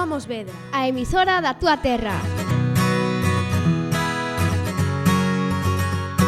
Somos Vedra, a emisora da túa terra.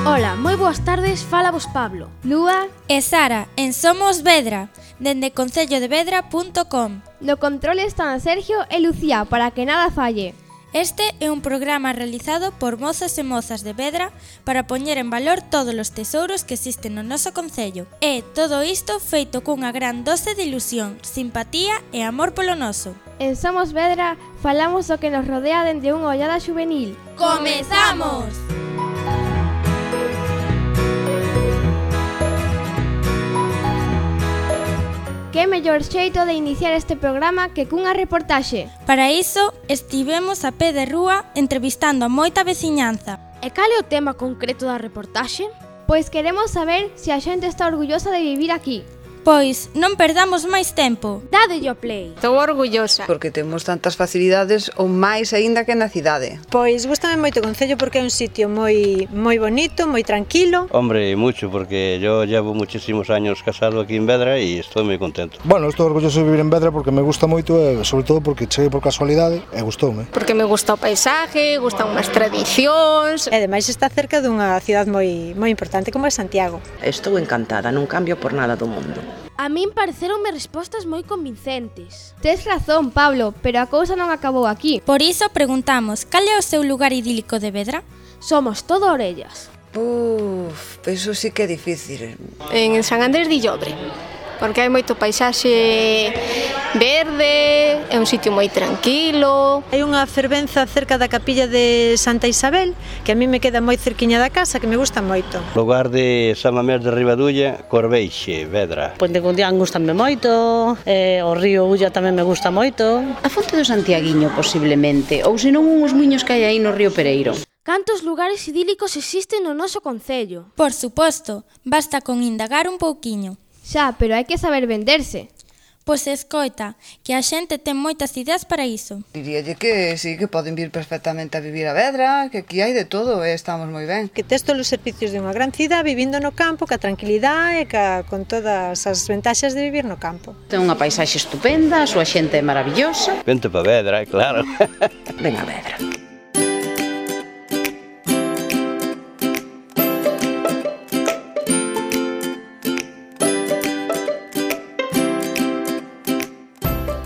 Ola, moi boas tardes, fálavos Pablo, Lúa e Sara en Somos Vedra, dende concellodevedra.com. No control están Sergio e Lucía para que nada falle. Este é un programa realizado por mozas e mozas de Vedra para poñer en valor todos os tesouros que existen no noso concello. E todo isto feito cunha gran dose de ilusión, simpatía e amor polo noso. En Somos Vedra falamos do que nos rodea dende unha ollada xuvenil. ¡Comezamos! Que mellor xeito de iniciar este programa que cunha reportaxe. Para iso, estivemos a pé de rúa entrevistando a moita veciñanza. E cal é o tema concreto da reportaxe? Pois queremos saber se a xente está orgullosa de vivir aquí. Pois non perdamos máis tempo. Dádelle o play. Estou orgullosa. Porque temos tantas facilidades ou máis aínda que na cidade. Pois gústame moito o concello porque é un sitio moi bonito, moi tranquilo. Hombre, mucho, porque yo llevo muchísimos años casado aquí en Vedra e estou moi contento. Bueno, estou orgulloso de vivir en Vedra porque me gusta moito e sobre todo porque cheguei por casualidade e gustoume. Porque me gusta o paisaje, gustan unhas tradicións. E ademais está cerca dunha cidade moi importante como é Santiago. Estou encantada, non cambio por nada do mundo. A min pareceronme respostas moi convincentes. Tes razón, Pablo, pero a cousa non acabou aquí. Por iso preguntamos, cal é o seu lugar idílico de Vedra? Somos todo orellas. Eso sí que é difícil. En San Andrés de Llobre, porque hai moito paisaxe verde, é un sitio moi tranquilo. Hai unha fervenza cerca da capilla de Santa Isabel, que a mí me queda moi cerquiña da casa, que me gusta moito. Lugar de San Mamés de Ribadulla, Corveixe, Vedra. Ponte Cundián gustame moito, o río Ulla tamén me gusta moito. A fonte do Santiaguiño, posiblemente, ou senón uns muiños que hai aí no río Pereiro. Cantos lugares idílicos existen no noso concello? Por suposto, basta con indagar un pouquiño. Xa, pero hai que saber venderse. Pois escoita, que a xente ten moitas ideas para iso. Diríalle que sí, que poden vir perfectamente a vivir a Vedra, que aquí hai de todo e estamos moi ben. Que tes todos os servicios de unha gran cidade vivindo no campo, ca tranquilidade e con todas as ventaxas de vivir no campo. Ten unha paisaxe estupenda, a súa xente é maravillosa. Vente para Vedra, claro. Ven a Vedra.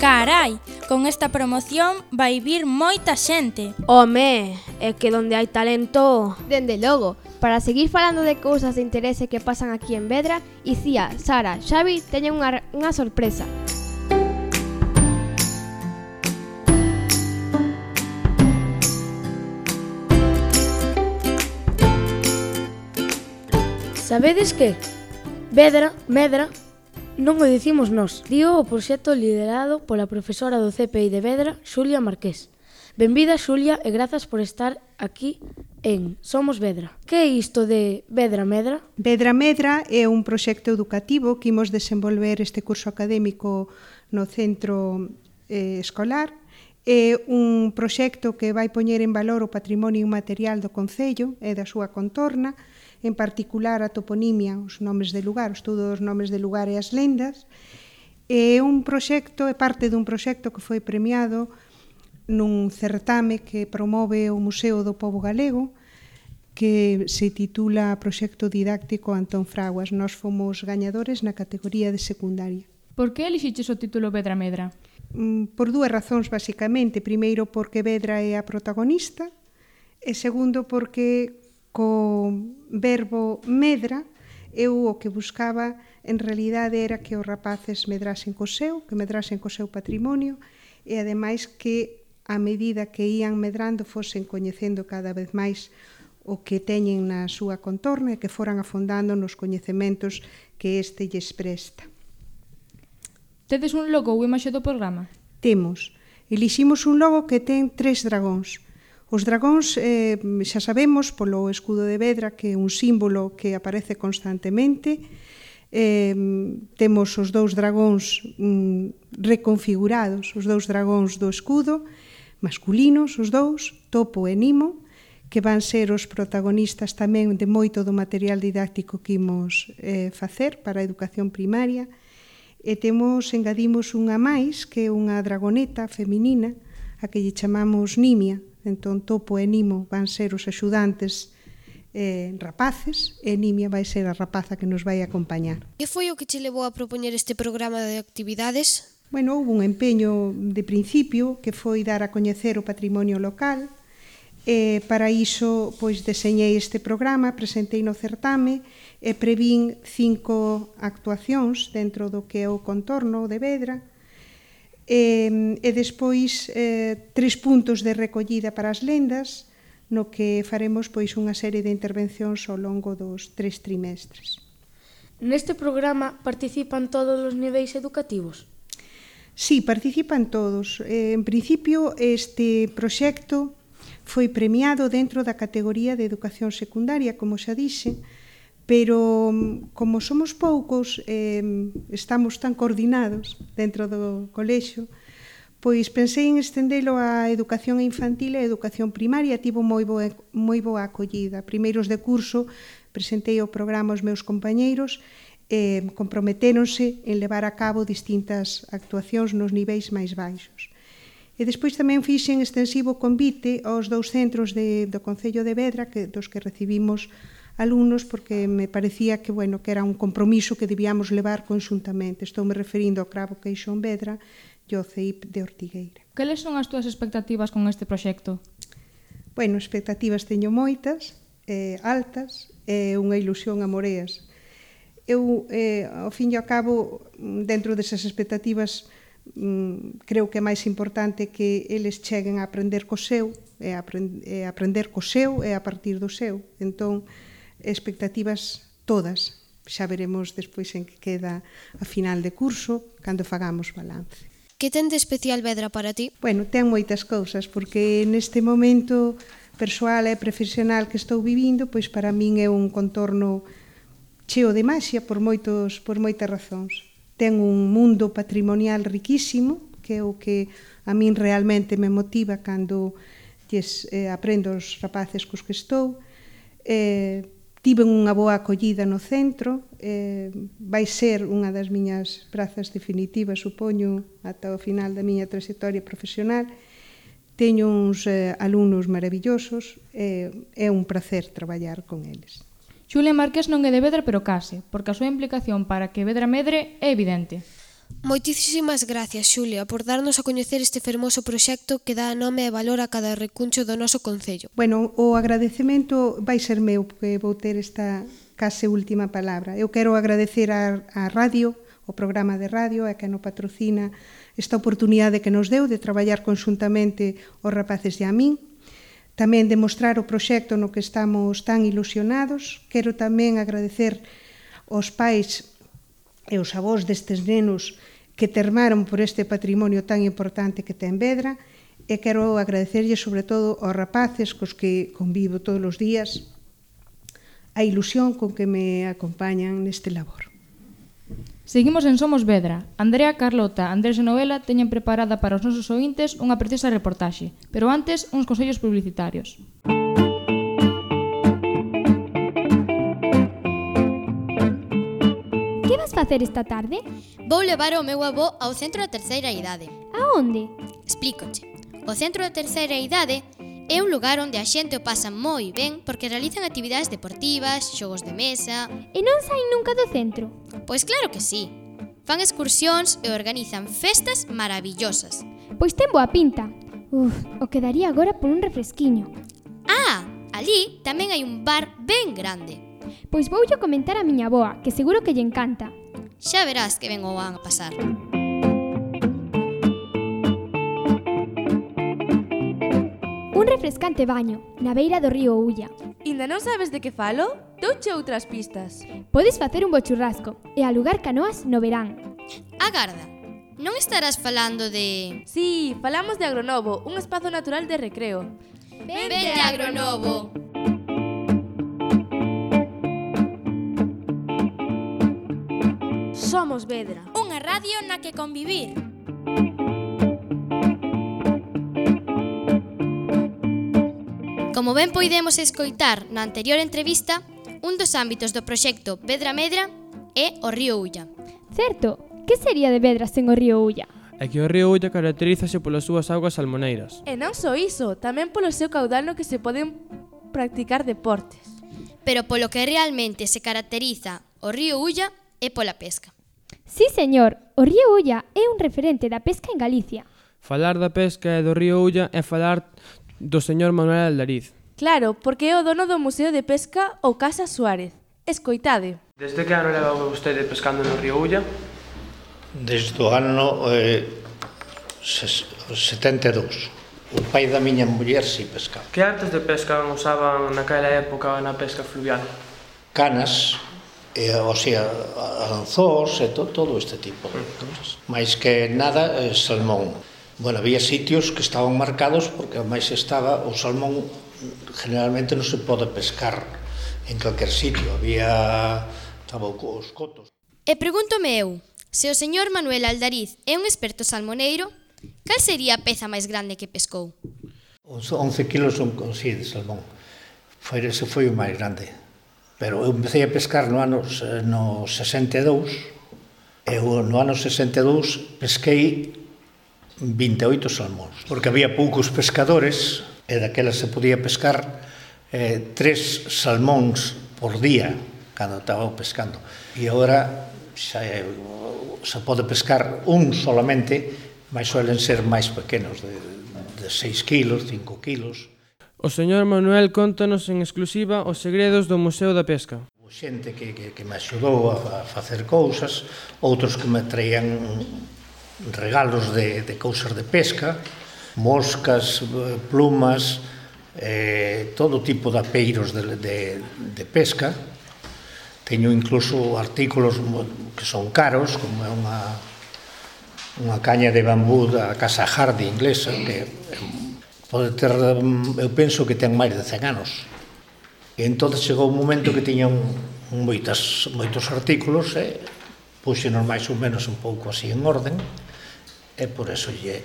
Carai, con esta promoción vai vir moita xente. Home, é que donde hai talento... Dende logo, para seguir falando de cousas de interese que pasan aquí en Vedra, Icía, Sara, Xavi teñen unha sorpresa. Sabedes que? Vedra, Medra, non o dicimos nós, dío o proxecto liderado pola profesora do CPI de Vedra, Xulia Marqués. Benvida, Xulia, e grazas por estar aquí en Somos Vedra. Que é isto de Vedra Medra? Vedra Medra é un proxecto educativo que imos desenvolver este curso académico no centro escolar. É un proxecto que vai poñer en valor o patrimonio inmaterial do concello e da súa contorna, en particular a toponimia, os nomes de lugar, o estudo dos nomes de lugar e as lendas. É un proxecto, é parte dun proxecto que foi premiado nun certame que promove o Museo do Pobo Galego, que se titula Proxecto Didáctico Antón Fraguas. Nós fomos gañadores na categoría de secundaria. Por que elixiches o título Vedra Medra? Por dúas razóns, basicamente. Primeiro, porque Vedra é a protagonista, e segundo, porque co verbo medra, eu o que buscaba en realidade era que os rapaces medrasen co seu, que medrasen co seu patrimonio e ademais que a medida que ían medrando fosen coñecendo cada vez máis o que teñen na súa contorna e que foran afondando nos coñecementos que este lles presta. Tedes un logo ou imaxe do programa? Temos. Eliximos un logo que ten 3 dragóns. Os dragóns, xa sabemos, polo escudo de Vedra, que é un símbolo que aparece constantemente. Temos os 2 dragóns reconfigurados, os 2 dragóns do escudo, masculinos, os 2, Topo e Nimo, que van ser os protagonistas tamén de moito do material didáctico que imos facer para a educación primaria. E engadimos unha máis, que é unha dragoneta feminina, a que lle chamamos Nimia. Entón, Topo e Nimo van ser os axudantes rapaces, e Nimia vai ser a rapaza que nos vai acompañar. Que foi o que che levou a propoñer este programa de actividades? Bueno, houve un empeño de principio que foi dar a coñecer o patrimonio local. Para iso, pois, deseñei este programa, presentei no certame e prevín 5 actuacións dentro do que é o contorno de Vedra e despois 3 puntos de recollida para as lendas, no que faremos pois unha serie de intervencións ao longo dos 3 trimestres. Neste programa participan todos os niveis educativos? Sí, participan todos. En principio, este proxecto foi premiado dentro da categoría de educación secundaria, como xa dixe, pero como somos poucos, estamos tan coordinados dentro do colexio, pois pensei en estendelo á educación infantil e a educación primaria. Tivo moi boa acollida. Primeiros de curso presentei o programa aos meus compañeiros e comprometéronse en levar a cabo distintas actuacións nos niveis máis baixos. E despois tamén fixen extensivo convite aos 2 centros do Concello de Vedra, dos que recibimos alumnos, porque me parecía que era un compromiso que debíamos levar conxuntamente. Estou me referindo ao Cravo Queixón Vedra e ao CEIP de Ortigueira. Cales son as túas expectativas con este proxecto? Bueno, expectativas teño moitas, altas, e unha ilusión a moreas. Eu, ao fin e ao cabo, dentro desas expectativas, creo que é máis importante que eles cheguen a aprender co seu, e aprender co seu e a partir do seu. Entón, expectativas todas. Xa veremos despois en que queda a final de curso, cando fagamos balance. Que ten de especial Vedra para ti? Bueno, ten moitas cousas, porque neste momento persoal e profesional que estou vivindo, pois para min é un contorno cheo de maxia por moitas razóns. Ten un mundo patrimonial riquísimo, que é o que a min realmente me motiva cando aprendo os rapaces cos que estou. Tiven unha boa acollida no centro, vai ser unha das miñas prazas definitivas, supoño, ata o final da miña trayectoria profesional. Teño uns alumnos maravillosos, é un placer traballar con eles. Xulia Marqués non é de Vedra, pero case, porque a súa implicación para que Vedra medre é evidente. Moitísimas gracias, Xulia, por darnos a coñecer este fermoso proxecto que dá nome e valor a cada recuncho do noso concello. Bueno, o agradecemento vai ser meu, porque vou ter esta case última palabra. Eu quero agradecer á radio, o programa de radio, a que nos patrocina esta oportunidade que nos deu de traballar conxuntamente os rapaces e a min. Tamén demostrar o proxecto no que estamos tan ilusionados. Quero tamén agradecer aos pais e os avós destes nenos que termaron por este patrimonio tan importante que ten Vedra, e quero agradecerlle sobre todo aos rapaces cos que convivo todos os días a ilusión con que me acompañan neste labor. Seguimos en Somos Vedra. Andrea, Carlota, Andrés e Noela teñen preparada para os nosos ointes unha preciosa reportaxe, pero antes uns consellos publicitarios. Que vas facer esta tarde? Vou levar o meu avó ao centro da terceira idade. Aonde? Explícoche. O centro da terceira idade é un lugar onde a xente o pasa moi ben porque realizan actividades deportivas, xogos de mesa... E non saen nunca do centro? Pois claro que sí. Fan excursións e organizan festas maravillosas. Pois ten boa pinta. O quedaría agora por un refresquiño. Ah, ali tamén hai un bar ben grande. Pois voulle comentar a miña avoa, que seguro que lle encanta. Xa verás que ben o van a pasar. Un refrescante baño, na beira do río Ulla. Inda non sabes de que falo? Douche outras pistas. Podes facer un bo churrasco e alugar canoas no verán. Agarda, non estarás falando de... Sí, falamos de Agronovo, un espazo natural de recreo. Vente a Agronovo! Somos Vedra. Unha radio na que convivir. Como ben poidemos escoitar na anterior entrevista, un dos ámbitos do proxecto Vedra Medra é o río Ulla. Certo, Que sería de Vedra sen o río Ulla? É que o río Ulla caracterízase polas súas augas salmoneiras. E non só iso, tamén polo seu caudal no que se poden practicar deportes. Pero polo que realmente se caracteriza o río Ulla é pola pesca. Sí, señor, o río Ulla é un referente da pesca en Galicia. Falar da pesca e do río Ulla é falar do señor Manuel Aldariz. Claro, porque é o dono do Museo de Pesca ou Casa Suárez. Escoitade. Desde que ano leva vostede pescando no río Ulla? Desde o ano 72. O pai da miña muller si pescaba. Que artes de pesca usaban naquela época na pesca fluvial? Canas, o sea, anzós e todo este tipo de cousas. Mais que nada, salmón. Bueno, había sitios que estaban marcados porque máis estaba o salmón, generalmente non se pode pescar en calquer sitio. Estaba os cotos. E pregúntome eu, se o señor Manuel Aldariz é un experto salmoneiro, cal sería a peza máis grande que pescou? 11 kilos sí, de salmón. Ese foi o máis grande. Pero eu empecé a pescar no ano 62, e no ano 62 pesquei 28 salmóns, porque había poucos pescadores, e daquelas se podía pescar 3 salmóns por día, cando estaba pescando. E agora se pode pescar un solamente, mas suelen ser máis pequenos, de 6 kilos, 5 kilos. O señor Manuel contanos en exclusiva os segredos do Museo da Pesca. Xente que me axudou a facer cousas, outros que me traían regalos de cousas de pesca, moscas, plumas, todo tipo de apeiros de pesca. Teño incluso artículos que son caros, como é unha caña de bambú da Casa Hardy inglesa, que pode ter, eu penso que ten máis de 100 anos. E entón chegou un momento que tiñan moitos artículos, e puxenos máis ou menos un pouco así en orden, e por eso lle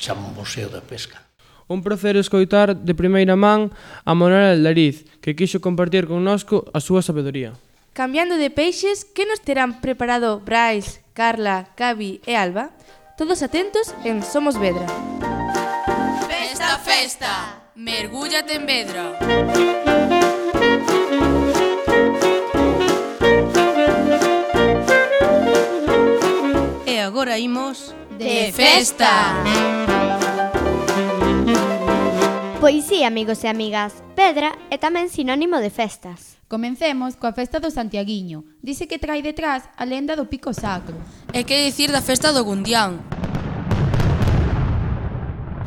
chamo Museo da Pesca. Un placer escoitar de primeira man a Manuel Aldariz, que quixo compartir connosco a súa sabedoría. Cambiando de peixes, que nos terán preparado Brais, Carla, Gabi e Alba? Todos atentos en Somos Vedra. Festa, festa, mergúllate en Vedra. E agora imos de festa. Pois sí, amigos e amigas, Vedra é tamén sinónimo de festas. Comencemos coa festa do Santiaguiño. Dice que trae detrás a lenda do Pico Sacro. E que dicir da festa do Gundián?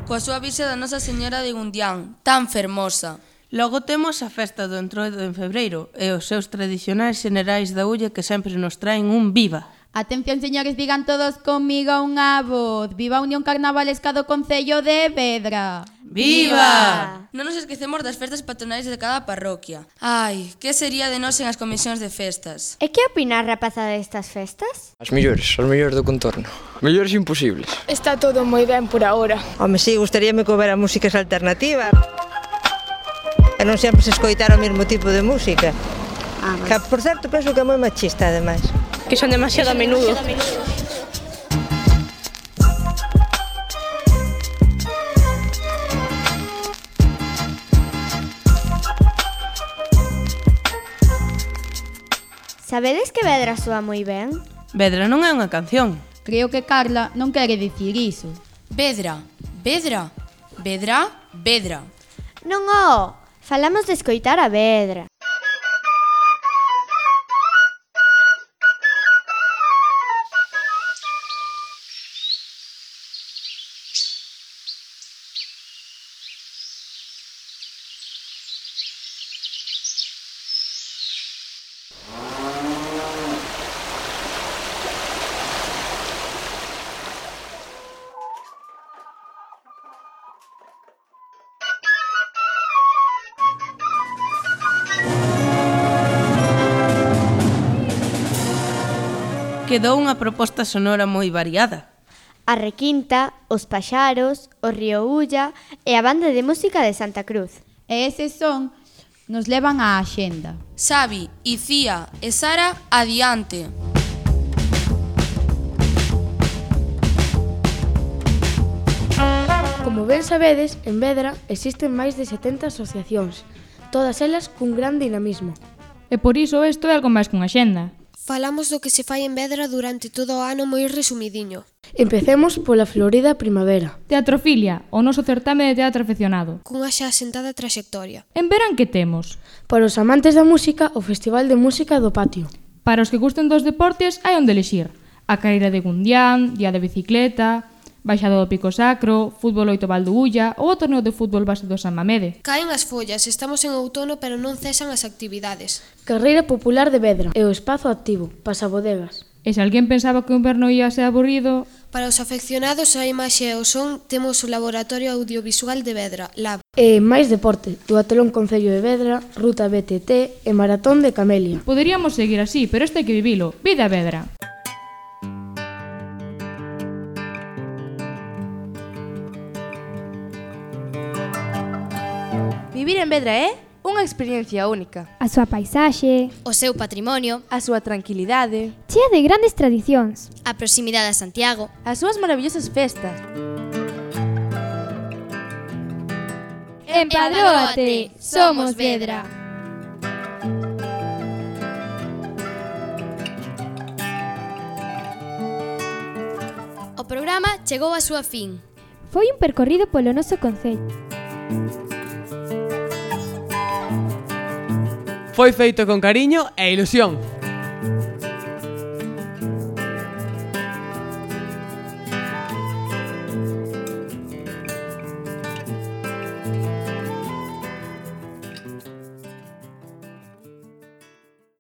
Coa súa virxe da Nosa Señora de Gundián, tan fermosa. Logo temos a festa do Entroido en febreiro e os seus tradicionais xenerais da Ulla que sempre nos traen un viva. Atención, señores, digan todos comigo unha voz. Viva a Unión Carnavalesca do Concello de Vedra. Viva! Non nos esquecemos das festas patronais de cada parroquia. Ai, que sería de nós en as comisións de festas? E que opina a rapazada destas festas? As mellores do contorno. Mellores imposibles. Está todo moi ben por agora. Home, si, gustaríame que houbera músicas alternativas. E non sempre se escoitar o mesmo tipo de música. Que, por certo, penso que é moi machista, ademais. Que son demasiado a menudo. Sabedes que Vedra soa moi ben? Vedra non é unha canción. Creo que Carla non quere dicir iso. Vedra, Vedra, Vedra, Vedra. Non, falamos de escoitar a Vedra. Quedou unha proposta sonora moi variada. A requinta, os paxaros, o río Ulla e a banda de música de Santa Cruz. E eses son nos levan á axenda. Xavi, Icía e Sara, adiante. Como ben sabedes, en Vedra existen máis de 70 asociacións, todas elas cun gran dinamismo. E por iso isto é algo máis que unha xenda. Falamos do que se fai en Vedra durante todo o ano moi resumidiño. Empecemos pola florida primavera. Teatrofilia, o noso certame de teatro afeccionado. Cunha xa asentada trayectoria. En verán que temos? Para os amantes da música, o Festival de Música do Patio. Para os que gusten dos deportes, hai onde elixir. A carreira de Gundián, día de bicicleta, baixado do Pico Sacro, fútbol 8 Valdulla ou o torneo de fútbol base do San Mamede. Caen as follas, estamos en outono pero non cesan as actividades. Carreira Popular de Vedra e o espazo activo, pasabodegas. E se alguén pensaba que o inverno ia ser aburrido... Para os afeccionados á imaxe e ao son, temos o Laboratorio Audiovisual de Vedra, LAB. E máis deporte, Duatlón Concello de Vedra, Ruta BTT e Maratón de Camelia. Poderíamos seguir así, pero este hai que vivilo. Vida Vedra! Vivir en Vedra é unha experiencia única. A súa paisaxe, o seu patrimonio, a súa tranquilidade, chea de grandes tradicións, a proximidade a Santiago, as súas maravillosas festas. Empadróate, somos Vedra. O programa chegou á súa fin. Foi un percorrido polo noso concello. Foi feito con cariño e ilusión.